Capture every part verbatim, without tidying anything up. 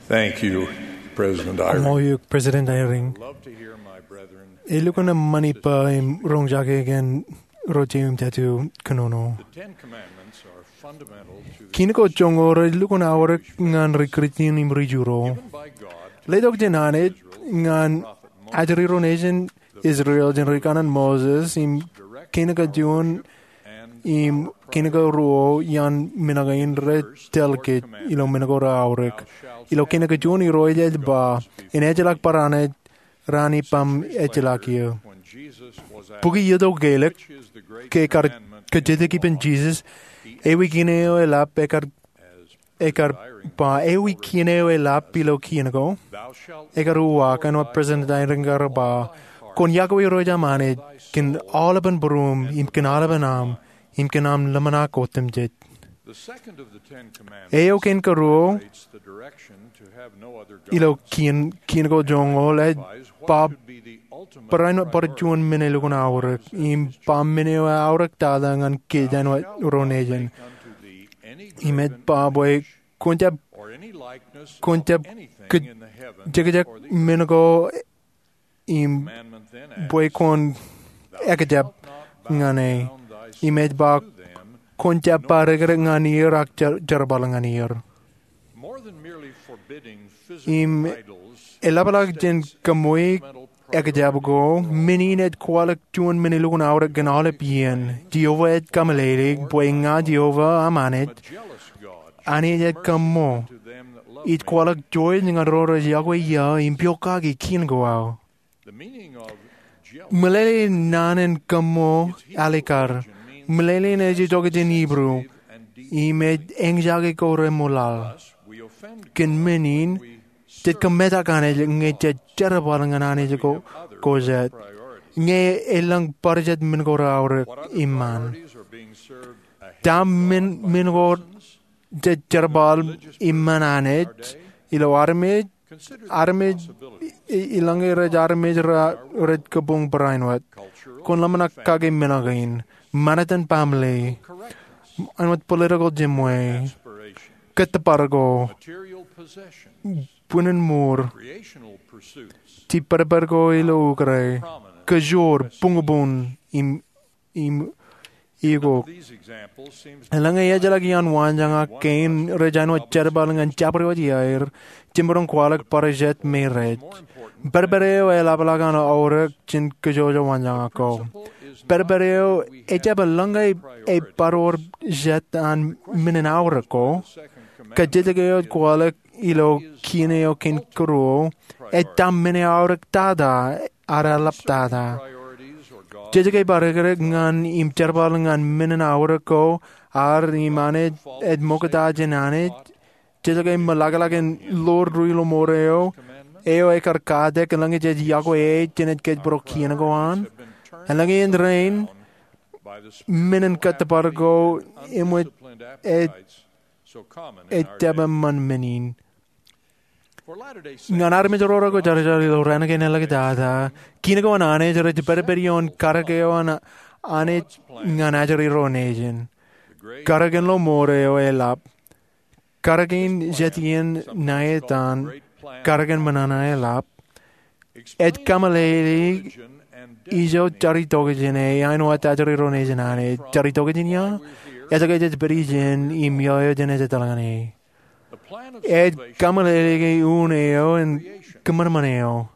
Thank you, President Eyring. Koṃṃool eok, President Eyring. Love to hear my brethren. Elukkuun eṃṃan ippa im roñjake kōn ro jeiū im jatū kōnono. The Ten Commandments are fundamental to the Kiin ko joñoul rej lukkuun aorōk ñan ri-Kristian im ri-Juro. Given by God, letok jān Anij ñan ajri ro nejin Israel jān ri-kaṇan Moses im kiin kajuon im kiin karuo iaan men kein rej tōl kōj ilo men ko reaorōk. Ilo kiin kajuon Irooj ej ba, en ejjeḷọk bar Anij raan ippaṃ ejjeḷọk eō. Bukwi iiō tok ke elōk ke kar kajjitōk ippān Jisōs, ewi kiin eo eḷap ekar ekar ba, ewi kiin eo eḷap ilo kiin ko, ekar uwaak, āinwōt President Eyring kar ba, kwōn yokwe Irooj aṃ Anij kōn aolepān būruōṃ, im kōn aolepān aṃ, im kōn aṃ ḷōmṇak otemjej. Eo kein karuo, ilo kiin, kiin ko joñoul, ej ba barāinwōt bar juon men elukkuun aorōk, im ba men eo eaorōk tata ñan kōj āinwōt ro nejin. Im ej ba bwe kwōn jab, kwōn jab kōj, jekjek men ko im bwe kwōn ekjab ñan e. Im ej ba kwōn jab ba rekrek ñan er ak jer-, jerbal ñan er. Im eḷapḷọk jān kōṃṃool ekjab ko, men in ej kwaḷọk juon men elukkuun aorōk kōn aolep iien. Jeova ej kameḷeḷeik bwe ña Jeova aṃ Anij, Anij ej kōṃṃool. Ij kwaḷọk jouj ñan ro rej yokwe eō im pokake kiin ko aō. Meḷeḷe in naan in kōṃṃool alikkar. Meḷeḷe in ej itok jān Hibru, im ej eñjake ko reṃwilaḷ. Kōn men in, jej kōmetak Anij ñe jej jerbal ñan Anij ko, ko jet. Ñe elōñ bar jet men ko reaorōk iṃaan. Ta men, men ko jej jerbal iṃaan Anij, ilo armej, armej, i-, ilañe rej armej ra, rej kabuñ barāinwōt. Kwōn ḷōmṇak kake men kein. Ṃanit in baaṃle. Āinwōt political jemwe. Kōttōpar ko. Bwin in mour. Jibadbad ko ilo ukōte. Kōjoor, buñbuñ, im im ikok. Eḷaññe ejjeḷọk iaan waanjoñak kein rej āinwōt jerbal ñan jabdewōt iaer, jemaroñ kwaḷọk bar jet me rej. Badbad eo eḷapḷọk an aorōk jān kōjwōj waanjoñak ko. Badbad eo ejjab eḷaññe ebar wōr jet an men in aorōk ko. Kajjitōk eo ej kwaḷọk ilo kiin eo kein karuo, ej ta men eo aorōk tata, ad eḷap tata. Jej ke bar rekrek ñan im jerbal ñan men in aorōk ko, ad im Anij ej ṃokta jān Anij. Jej ke ṃōḷaḷḷọk in ḷoor ri ilo mour eo, eo ekar katak eḷaññe jej yokwe e jān ej kōjparok kiin ko an. Eḷaññe en rein, men in kōttōpar ko eṃōj ej ej jab eṃṃan men in. Ñan armej ro reko jarijar ilo raan kein āliktata, kiin ko an Anij rej pedped ioon karōk eo an Anij ñan ajri ro nejin. Karōk in ḷomour eo eḷap. Karōk in jet iien ṇa etan, karōk in ṃōṇōṇō eḷap. Ej kameḷeḷeik ijo jaritok jān e, āinwōt ajri ro nejin Anij. Jaritok jān ia? Ejjeḷọk jej pād ijeṇ im iiō eo jenaaj etal ñan e. Ej kameḷeḷeik unin eo im kōṃanṃan eo.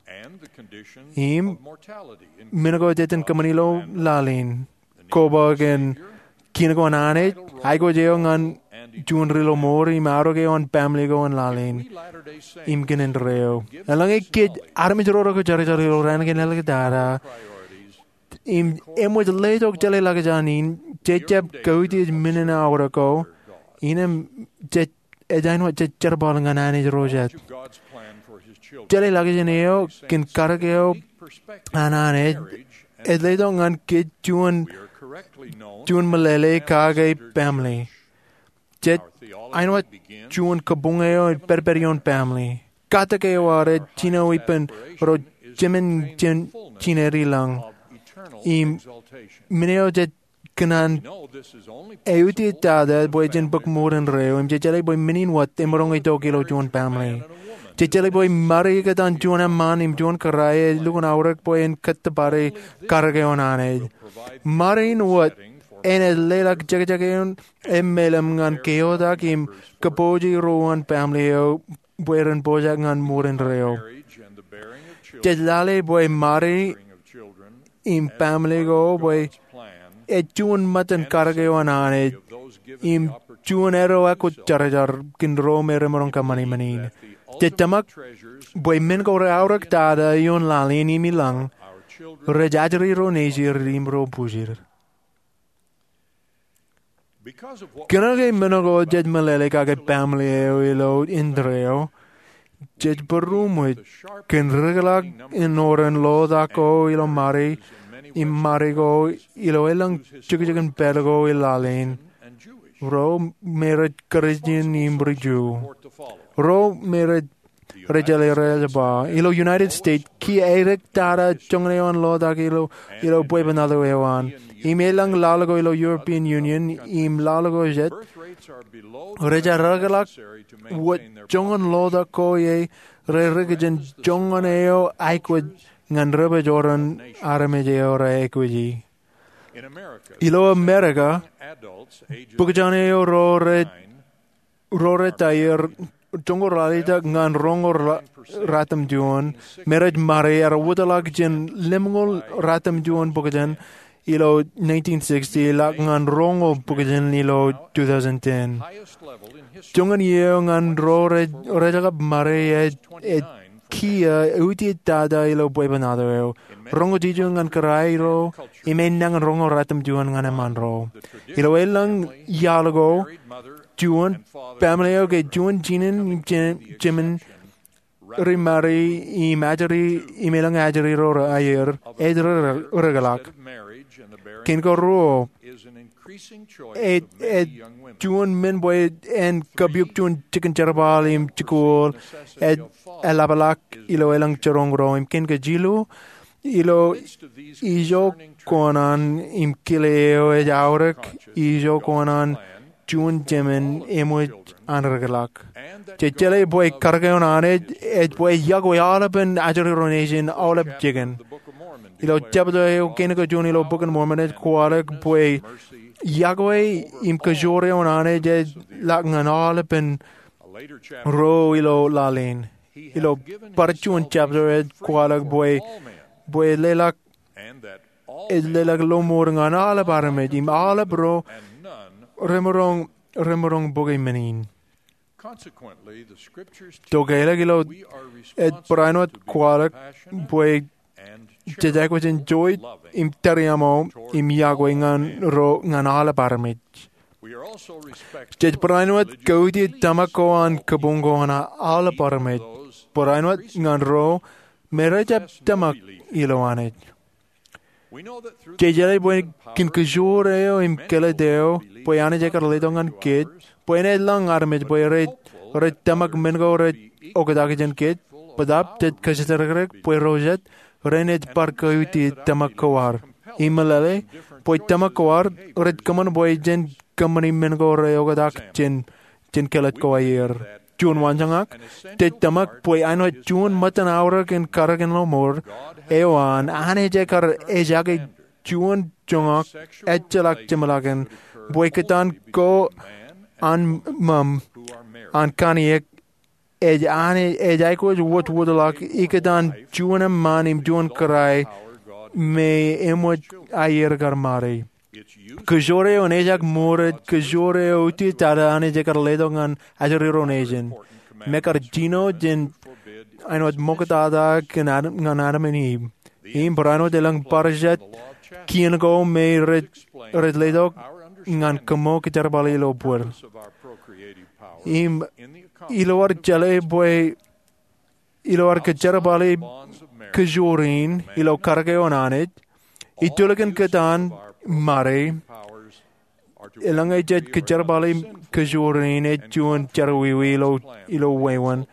Im men ko ej iten kōṃṃan ilo laḷ in. Koba kōn kiin ko an Anij, aikuj eo ñan juon ri ḷomour, im arro ke eo an baaṃle ko an laḷ in, im kōn indeeo. Eḷaññe kōj armej ro reko jarijar ilo raan kein āliktata, im eṃōj letok jeḷā ḷọkjeṇ in, jej jab kautiej men in aorōk ko, innām jej ej āinwōt jej jerbal ñan Anij ro jet. Jeḷā ḷọkjeṇ eo kōn karōk eo an Anij ej letok ñan kōj juon, juon meḷeḷe kake baaṃle. Jej āinwōt juon kabuñ eo im pedped ioon baaṃle. Katak eo ad ej jino ippān ro jemān jān jined ilañ. Im men eo jej kōṇaan eutiej tata bwe jen bōk mour indeeo, im jej jeḷā bwe men in wōt emaroñ itok ilo juon baaṃle. Jej jeḷā bwe ṃare ikōtaan juon eṃṃaan im juon kōrā ej lukkuun aorōk bwe en kōttōpare karōk eo an Anij. Ṃare in wōt enaaj leḷọk jekjek eṇ emālōm ñan keotak im kōpooje ro uwaan family eo bwe ren pojak ñan ṃoor indeeo. Jej lale bwe ṃare im family ko bwe ej juon ṃōttan karōk eo an Anij im juon eddo ekwōjarjar kōn ro me remaroñ kōṃṃani men in. Jej tōmak bwe men ko reaorōk tata ioon laḷ in im ilañ rej ajri ro nejier im ro pūjir. Kōnke men ko jej meḷeḷe kake family eo ilo indeeo, jej būroṃōj kōn rikḷọk eo an lotak ko ilo ṃare im ṃare ko ilo elōñ jukjukin pād ko ilo laḷ in, ro me rej Kūrjin im ri-Ju, ro me rej rej jeḷā rej ba. Ilo United States, kiiō edik tata joñan eo an lotak ilo bwebwenato eo an. Im elōñ laḷ ko ilo European Union im laḷ ko jet, rej rikḷọk wōt joñan lotak ko ie rej ri-kajin joñan eo aikuj ñan rej pād ilo armej eo rej aikuji. Ilo Amerika, bukjaan eo ro rej ro rej ta ier joñoul ralitōk ñan roñoul ratimjuon me rej ṃare ear wōtlọk jān lemñoul ratimjuon bukjān ilo nineteen sixty ḷọk ñan roñoul bukjān ilo two thousand ten. Joñan iiō ñan ro rej rej kab ṃare ej kiiō utiej tata ilo bwebwenato eo. Roñoul jilu ñan kōrā ro im enañin roñoul ratimjuon ñan eṃṃaan ro. Ilo elōñ iaḷ ko, juon family eo ke juon jinen im jemān ri ṃare im ajri im elōñ ajri ro rej aier ej rikḷọk. Kein ko ruo, ej ej juon men bwe en kapiok juon jikin jerbal im jikuuḷ ej eḷapḷọk ilo elōñ jiroñ ro. Im kein ko jilu, ilo ijo kōṇaan im kile eo ej aorōk ijo kōṇaan juon jemān eṃōj an rikḷọk. Jej jeḷā bwe karōk eo an Anij ej bwe yokwe aolepen ajri ro nejin aolep jikin. Ilo jebta eo kein ko juon ilo Bok in Mormon ej kwaḷọk bwe yokwe im kōjoor eo an Anij ej ḷọk ñan aolepen ro ilo laḷ in. Ilo bar juon jebta ej kwaḷọk bwe bwe leḷọk ej leḷọk lọmọọr ñan aolep armej im aolep ro remaroñ remaroñ bōke men in. Tokālik ilo ej barāinwōt kwaḷọk bwe jej aikuj in joij im tariaṃo im yokwe ñan ro ñan aolep armej. Jej barāinwōt kautiej tōmak ko an kabuñ ko an aolep armej, barāinwōt ñan ro me rejjab tōmak ilo Anij. Jej jeḷā bwe kōn kōjoor eo im kōlōt eo bwe Anij ekar letok ñan kōj bwe enaaj lōñ armej bwe rej rej tōmak men ko rej oktak jān kōj. Bōtaab jej kōjatdikdik bwe ro jet renaaj bar kautiej tōmak ko ad im meḷeḷe bwe tōmak ko ad rej kōṃṃan bwe jen kōṃṃani men ko rej oktak jān jān kōlōt ko aer. Juon waanjoñak, jej tōmak bwe āinwōt juon ṃōttan aorōk in karōk in lọmọọr eo an Anij ekar ejaake juon joñak ejjeḷọk jeṃḷọkin bwe kōtaan ko an ṃōṃ an kanniōk ej Anij ej aikuj wōtwōtḷọk ikōtaan juon eṃṃaan im juon kōrā me eṃōj aier kar ṃare. Kōjoor eo enaaj ṃōrej kōjoor eo utiej tata Anij ekar letok ñan ajri ro nejin im ekar jino jān āinwōt ṃoktata kōn ñan Adam im Iv. Im barāinwōt elōñ bar jet kien ko me rej rej letok ñan kōṃṃoo kōjerbale ilo bōd. Im ilo ad jeḷā bwe ilo ad kōjerbale kōjoor in ilo karōk eo an Anij, itulikin kōtaan ṃare, eḷaññe jej kōjerbale kōjoor in ej juon jerọwiwi ilo ilo wāween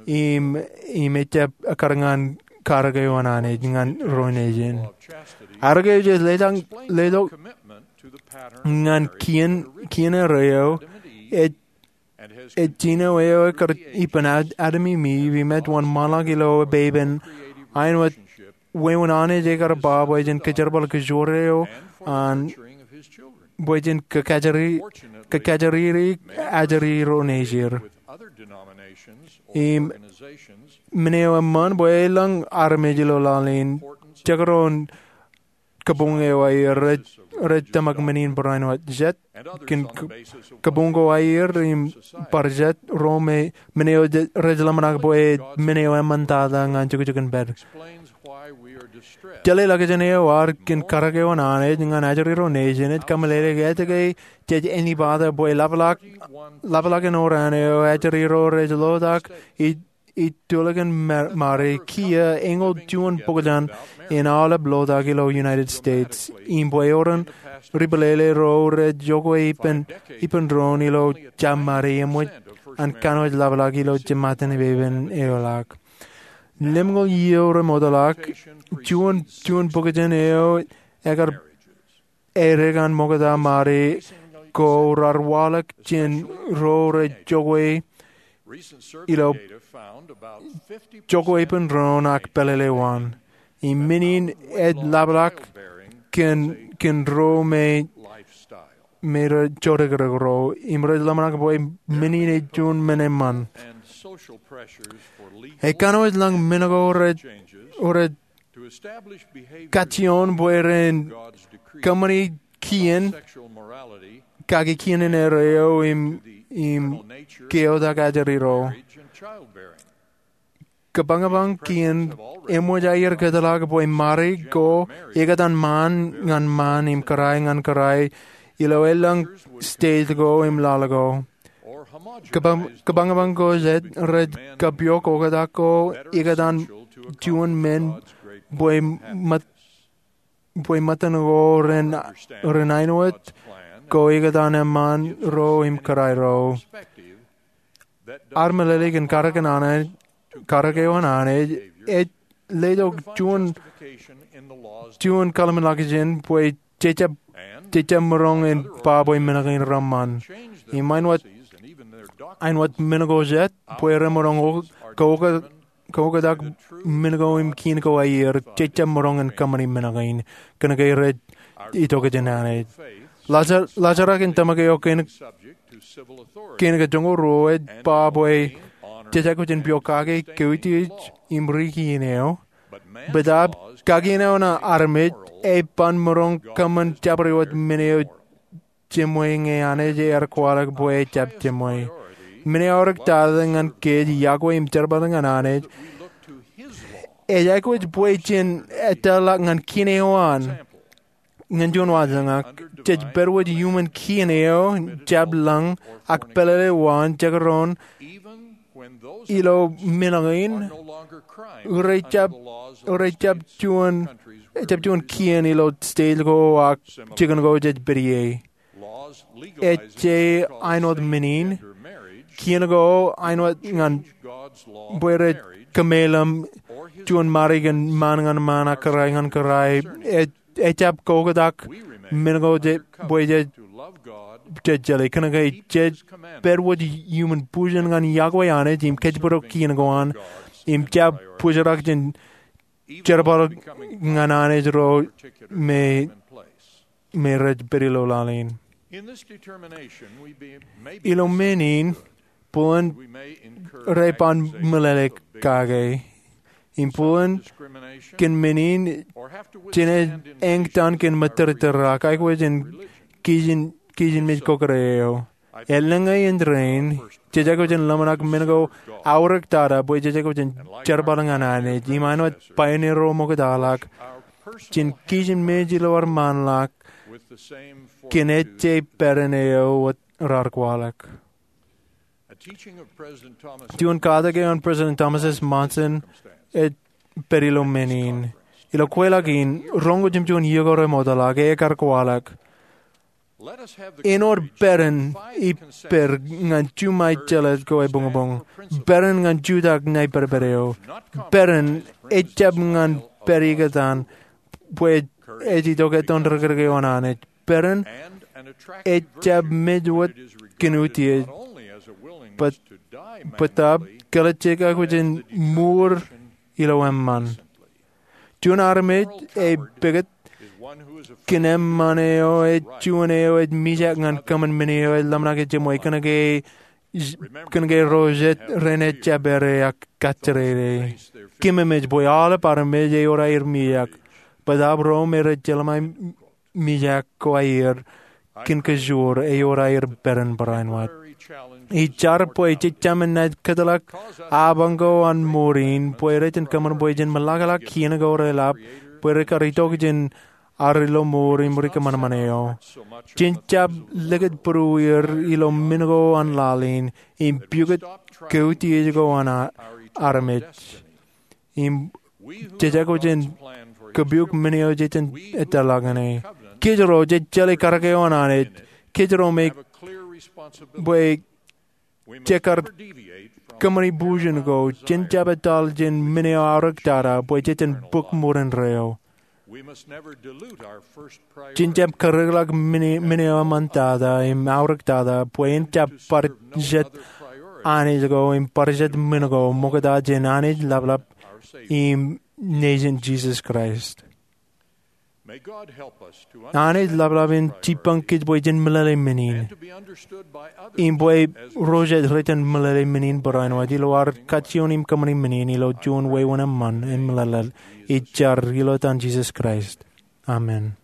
im im ejjab ekkar ñan karōk eo an Anij ñan ro nejin. Arōk eo jej letok letok ñan kien kien eo rej ej Ej jino eo ekar ippān Ad- Adam im Iv im ej wōnṃaanḷọk ilo epepen āinwōt wāween Anij ekar ba bwe jen kōjerbal kōjro eo an bwe jen kōkajjiri, kōkajjiri ajri ro nejier. Im men eo eṃṃan bwe elōñ armej ilo laḷ in jekdọọn kabuñ eo aer rej, rej tōmak men in barāinwōt jet kōn k- kabuñ ko aer im bar jet ro me men eo rej ḷōmṇak bwe men eo eṃṃantata ñan jukjuk in pād. Jeḷā ḷọkjeṇ eo ad kōn karōk eo an Anij ñan ajri ro nejin ej kōmeḷeḷeik etke jej āinwōt bwe ḷapḷọk, ḷapḷọk in oran eo ajri ro rej ḷotak ij, ij tulikin ma- mari kiiō eñoul juon bōkjān in aolep ḷotak ilo United States im bwe eoon ri-peḷeḷe ro rej jokwe ippān, ippān doon ilo jab mari eṃōj an kanooj ḷapḷọk ilo jiṃṃaten epepen eo ḷọk. Lemñoul iiō remootḷọk juon, juon bōkjān eo ekar edik an ṃokta mari ko raar waḷọk jān ro rej jokwe ilo, jokwe ippān doon ak pālele waan. Im men in ej ḷapḷọk kōn, kōn ro me, me rej jodikdik ro im rej ḷōmṇak bwe men in ej juon men eṃṃan. Ekanooj ḷọk men ko rej, rej kajjioñ bwe ren kōṃṃani kien, kaki kien in erreo im, im keotak ajri ro. Kōbañbañ kien eṃōj aer kōtḷọk bwe mari ko ekōtan ṃaan ñan ṃaan im kōrā ñan kōrā ilo elōñ state ko im laḷ ko. Kōbañ, kōbañbañ ko jet rej kapiok oktak ko ekōtan juon men bwe ṃōt, bwe ṃōttan ko ren, ren āinwōt ko ekōtan eṃṃaan ro im kōrā ro. Ad meḷeḷe kōn karōk an Anij, karōk eo an Anij ej letok juon, juon kōḷmānḷọkjeṇ bwe jejjab, jejjab maroñ in ba bwe men kein reṃṃan. Im āinwōt, āinwōt men ko jet bwe remaroñ ko, ko, kaoktak men ko im kien ko aer, jejjab maroñ in kōṃṃani men kein kōnke rej itok jān Anij. Ḷōjrak in tōmak eo kein, kein kajoñoul ruo ej ba bwe jej aikuj in piokake kautiej im ri kien eo. Bōtaab kakien eo an armej eban maroñ kōṃṃan jabdewōt men eo jemwe ñe Anij ear kwaḷọk bwe ejjab jemwe. Men eo aorōk tata ñan kōj yokwe im jerbal ñan Anij ej aikuj bwe jen ettoḷọk ñan kien eo an. Ñan juon wōt ñan, jej pād wōt iuṃwin kien eo jab lōñ ak pālele waan jekdọọn ilo men kein rejjab, rejjab juon, jab juon kien ilo state ko ak jikin ko jej pād ie. Ej āinwōt men in, kien ko āinwōt ñan bwe rej kōmeḷeḷe juon mari kōn ṃaan ñan ṃaan ak kōrā ñan kōrā, ej, ejjab kaoktak men ko jej, bwe jej, jej jeḷā kōnke jej pād wōt iuṃwin bujen ñan yokwe Anij im kōjparok kien ko an im jab bōjrak jān jerbal ñan Anij ro me me rej pād ilo laḷ in. Ilo men in, bōlen rej ban meḷeḷe kake. Im bōlen kōn men in, jenaaj eñtaan kōn mōttōrtōr ak aikuj in kijin, kijinmej kōkōrā eo. Elōñ in rainin, jej aikuj in ḷōmṇak men ko aorōk tata bwe jej aikuj in jerbal ñan Anij, im āinwōt pioneer ro ṃoktaḷọk, jen kijinmej ilo ad ṃaanḷọk kōn ejje pād in eo wōt raar kwaḷọk. Juon katak eo an President Thomas S. Monson ej pād ilo men in. Ilo kweilọk in, roñoul jimjuon iiō ko remootḷọk, ekar kwaḷọk, āinwōt pād in ippād ñan juṃae jeḷāj ko ebuñbuñ. Pād in ñan jutak ṇae pād pād eo. Pād in ejjab ñan pād ikōtaan bwe ej itok ettoon dik eo an Anij. Pād in ejjab mej wōt kōn utiej. bōtab kōḷejjek aikuj in ṃuur ilo eṃṃan. Juon armej ej pekūt kōn eṃṃan eo ej juon eo ej mijak ñan kōṃṃan men eo ej ḷōmṇak e jeṃwe kōn ke ro jet rein ejjab ere ak kajjirere. Keememej bwe aolep armej ewōr aer mijak, bōtab ro me rej jeḷā mijak ko aer kōn kajoor ewōr aer pād in barāinwōt. Ij jar bwe jejāmin naaj kōtḷọk apañ ko an mour in bwe rej kōṃṃan bwe jen ṃōḷaḷḷọk iien ko reḷap bwe rekar itok jān ad ilo mour im rikōṃanṃan eo. Jen jab likūt būrueir ilo men ko an laḷ in im pukot kautiej ko an armej. Im jej aikuj in kapiok men eo jej jen etōḷọk ñan e. Kōjro jej jeḷā karōk eo an Anij. Kōjro me bwe jekar kōṃṃani bujen ko, jen jab etal jān men eo aorōk tata bwe jej jen bōk ṃoor indeeo. Jen jab karōkḷọk men eo eṃṃan tata im aorōk tata bwe en jab bar jet Anij ko im bar jet men ko ṃokta jān Anij Laplap im Nejin Jisōs Kraist. Anij Laplap en jipañ kōj bwe jen meḷeḷe men in im bwe ro jet rej meḷeḷe men in barāinwōt ilo ad kajjioñ im kōṃṃani men in ilo juon wāween eṃṃan im meḷeḷe. Ij jar ilo etan Jisōs Kraist, amen.